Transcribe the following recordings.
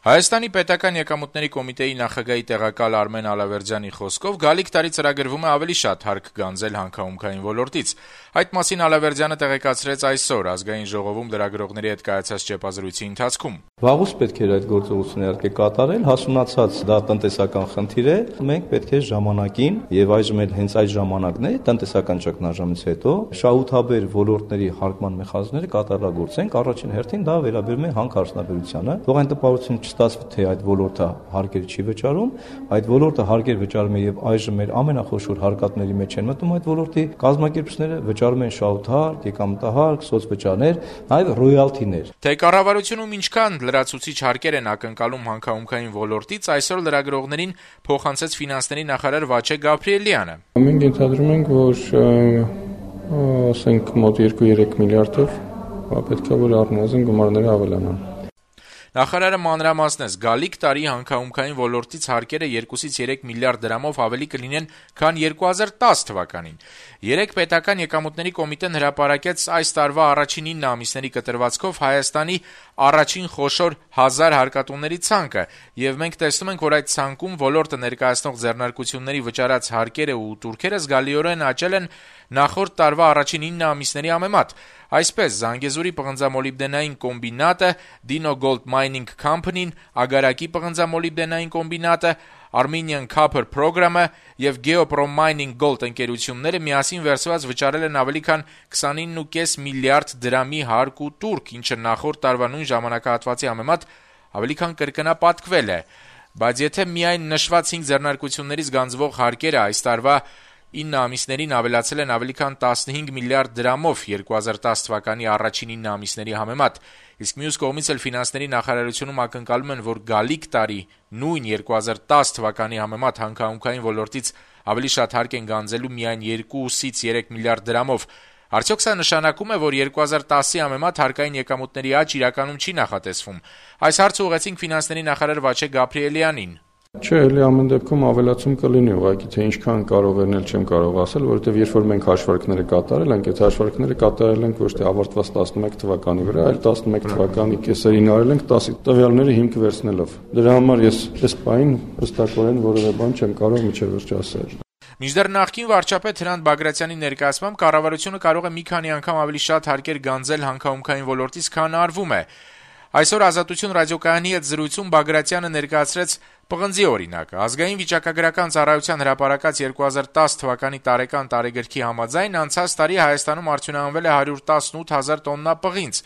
Հայաստանի պետական եկամուտների կոմիտեի նախագահի տեղակալ Արմեն Ալավերդյանի խոսքով գալիք տարի ծրագրվում է ավելի շատ հարկ գանձել հանքահումքային ոլորտից։ Այդ մասին Ալավերդյանը տեղեկացրեց այսօր Ազգային ժողովում լրագրողների հետ կայացած ճեպազրույցի ընթացքում։ Վաղուց պետք էր այդ գործողությունը իհարկե կատարել, հասունացած դա տնտեսական խնդիր է։ Մենք պետք է ժամանակին եւ այժմ էլ հենց այդ ժամանակն է տնտեսական ճգնաժամից հետո շահութաբեր ոլորտների հարկման մեխանիզմները կատարելագործենք։ Առաջին հերթին դա վերաբերում է հանքարդյունաբերությանը։ Թող այն տպավորություն ստացվի, թե այդ ոլորտը հարկեր չի վճարում, այդ ոլորտը հարկեր վճարում է եւ այժմ մեր ամենախոշոր հարկատների մեջ են մտնում այդ ոլորտի կազմակերպիչները վճարում են շահութահարկ, եկամտահարկ, սոցվճարներ, նաեւ ռոյալթիներ։ Թե կառավարությունում ինչքան լրացուցիչ հարկեր են ակնկալում հանքահումքային ոլորտից, այսօր լրագրողներին փոխանցեց ֆինանսների նախարար Վաչե Գաբրիելյանը։ Մենք ենթադրում ենք, որ ասենք մոտ 2-3 միլիարդով պետք է որ առնվազն գումարները ավելանան։ Նախարարը մանրամասնեց, գալիք տարի հանքահումքային ոլորտից հարկերը 2-ից 3 միլիարդ դրամով ավելի կլինեն, քան 2010 թվականին։ 3 պետական եկամուտների կոմիտեն հրապարակեց այս տարվա առաջին 9 ամիսների կտրվածքով Հայաստանի առաջին խոշոր 1000 հարկատուների ցանկը, եւ մենք տեսնում ենք, որ այդ ցանկում ոլորտը ներկայացնող ձեռնարկությունների վճարած հարկերը ու տուրքերը զգալիորեն աճել են նախորդ տարվա առաջին 9 ամիսների համեմատ։ Այսպես, Զանգեզուրի պղնձամոլիբդենային կոմբինատը, Dino Gold Mining Company-ն, Ագարակի պղնձամոլիբդենային կոմբինատը, Armenian Copper Program-ը եւ Geoprom Mining Gold ընկերությունները միասին վերցված վճարել են ավելի քան 29.5 միլիարդ դրամի հարկ ու տուրք, ինչը նախորդ տարվա նույն ժամանակահատվածի համեմատ ավելի քան կրկնապատկվել է։ Բայց եթե միայն նշված 5 ձեռնարկություններից գանձվող հարկերը այս տարվա 9 ամիսներին ավելացել են ավելի քան 15 միլիարդ դրամով 2010 թվականի առաջին 9 ամիսների համեմատ, իսկ մյուս կողմից էլ ֆինանսների նախարարությունում ակնկալում են, որ գալիք տարի նույն 2010 թվականի համեմատ հանքահումքային ոլորտից ավելի շատ հարկ են գանձելու միայն 2-ից 3 միլիարդ դրամով, արդյոք սա նշանակում է, որ 2010-ի համեմատ հարկային եկամուտների աճ իրականում չի նախատեսվում։ Այս հարցը ուղղեցինք ֆինանսների նախարար Վաչե Գաբրիելյանին։ Չէ, էլի ամեն դեպքում ավելացում կլինի, ուղղակի թե ինչքան կարող են էլ չեմ կարող ասել, որովհետև երբ որ մենք հաշվարկները կատարել ենք, այդ հաշվարկները կատարել ենք ոչ թե ավարտված 11 թվականի վրա, այլ 11 թվականի կեսերին արել ենք 10 տվյալների հիմք վերցնելով։ Դրա համար ես այս պահին հստակորեն որևէ բան չեմ կարող միջև վերջ ասել։ Մինչդեռ նախկին վարչապետ Հրանտ Բագրատյանի ներկայացմամբ կառավարությունը կարող է մի քանի անգամ ավելի շատ հարկեր գանձել հանքահումքային ոլորտից, քան արվում է։ Այսօր Ազատություն ռադիոկայանի հետ զրույցում Բագրատյանը ներկայացրեց պղնձի օրինակը։ Ազգային վիճակագրական ծառայության հրապարակած 2010 թվականի տարեկան տարեգրքի համաձայն անցած տարի Հայաստանում արդյունահանվել է 118,000 տոննա պղինձ։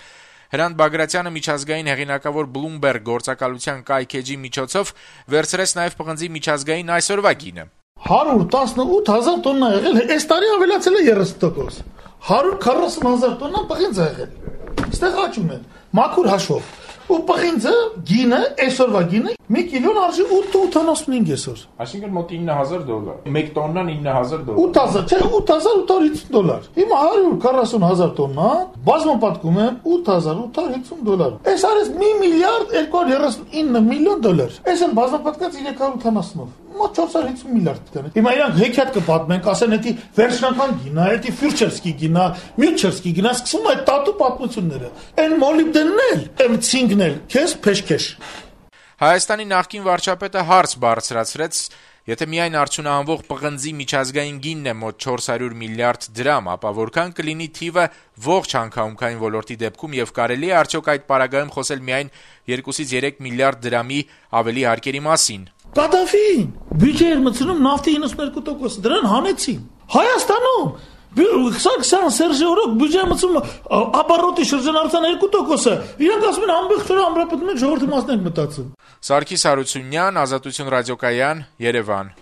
Հրանտ Բագրատյանը միջազգային հեղինակավոր Bloomberg գործակալության կայքեջի միջոցով վերցրեց նաև պղնձի միջազգային այսօրվա գինը։ 118,000 տոննա եղել, այս տարի ավելացել է 30%։ 140,000 տոննա պղինձ է եղել։ Այստեղ աճում է մաքուր հաշվով։ Ու պղինձը, գինը, այսօրվա գինը 1 կիլոն արժի 8.85 այսօր։ Այսինքն մոտ $9,000։ 1 տոննան $9,000։ 8,000, չէ, $8,850։ Հիմա 140,000 տոննա բազմապատկում է $8,850։ Այս արես $1 միլիարդ 239 միլիոն $։ Այս են բազմապատկած 380-ով։ Մոտ 450 միլիարդ դրամ։ Հիմա իրանք հեքիաթ կպատմեն, ասեն, էդի վերջնական գինա, էդի ֆյուրչերսկի գինա, մյուչերսկի գինա, սկսում այդ տատու պատմությունները։ Այն մոլիբդենն էլ, այն ցինկն էլ, քեզ փեշքեշ։ Հայաստանի նախկին վարչապետը հարց բարձրացրեց, եթե միայն արդյունահանվող պղնձի միջազգային գինն է մոտ 400 միլիարդ դրամ, ապա որքան կլինի թիվը ողջ հանքահումքային ոլորտի դեպքում եւ կարելի է արդյոք այդ պարագայում խոսել միայն 2-ից 3 միլիարդ դրամի ավելի հարկերի մասին։ Կադաֆին բյուջե էր մտցնում նավթի 92%, դրան հանեցին։ Հայաստանում Սարգսյան Սերժեորոկ բյուջե մտցում ապարոտի շրջանառության 2%, իրանք ասում են ամբողջ օրը ամրապնդում են ժողովրդի մասն են մտածում։ Սարգիս Հարությունյան, Ազատություն ռադիոկայան, Երևան։